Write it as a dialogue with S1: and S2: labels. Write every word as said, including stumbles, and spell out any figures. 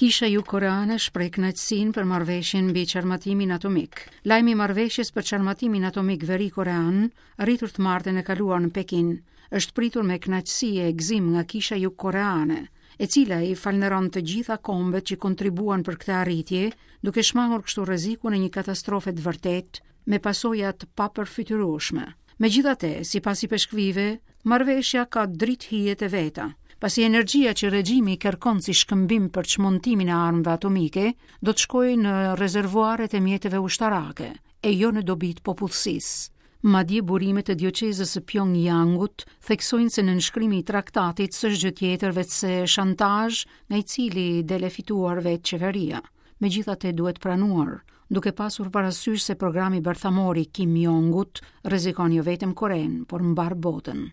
S1: Kisha jugkoreane shpreh kënaqësinë për marrëveshjen mbi çarmatimin atomik. Lajmi i marrëveshjes për çarmatimin atomik veri korean, arritur të martën e kaluar në Pekin, është pritur me kënaqësi e gëzim nga kisha jugkoreane, e cila i falënderon të gjitha kombet që kontribuan për këtë arritje, duke shmangur kështu rrezikun e një katastrofe të vërtetë me pasoja të papërfytyrueshme. Megjithatë, sipas ipeshkvive, marrëveshja ka dritë hijet e veta, pasi energjia që regjimi kërkon si shkëmbim për çmontimin e armëve atomike do të shkojë në rezervuaret e mjeteve ushtarake, e jo në dobi të popullsisë. Madje burimet e dioqezës së Pyongyangut theksojnë se nënshkrimi i traktatit s'është gjë tjetër veçse shantazh nga i cili del e fituar vetë qeveria. Megjithatë duhet pranuar, duke pasur parasysh se programi bërthamor i Kim Jong-ut rrezikon jo vetëm Korenë, por mbar botën.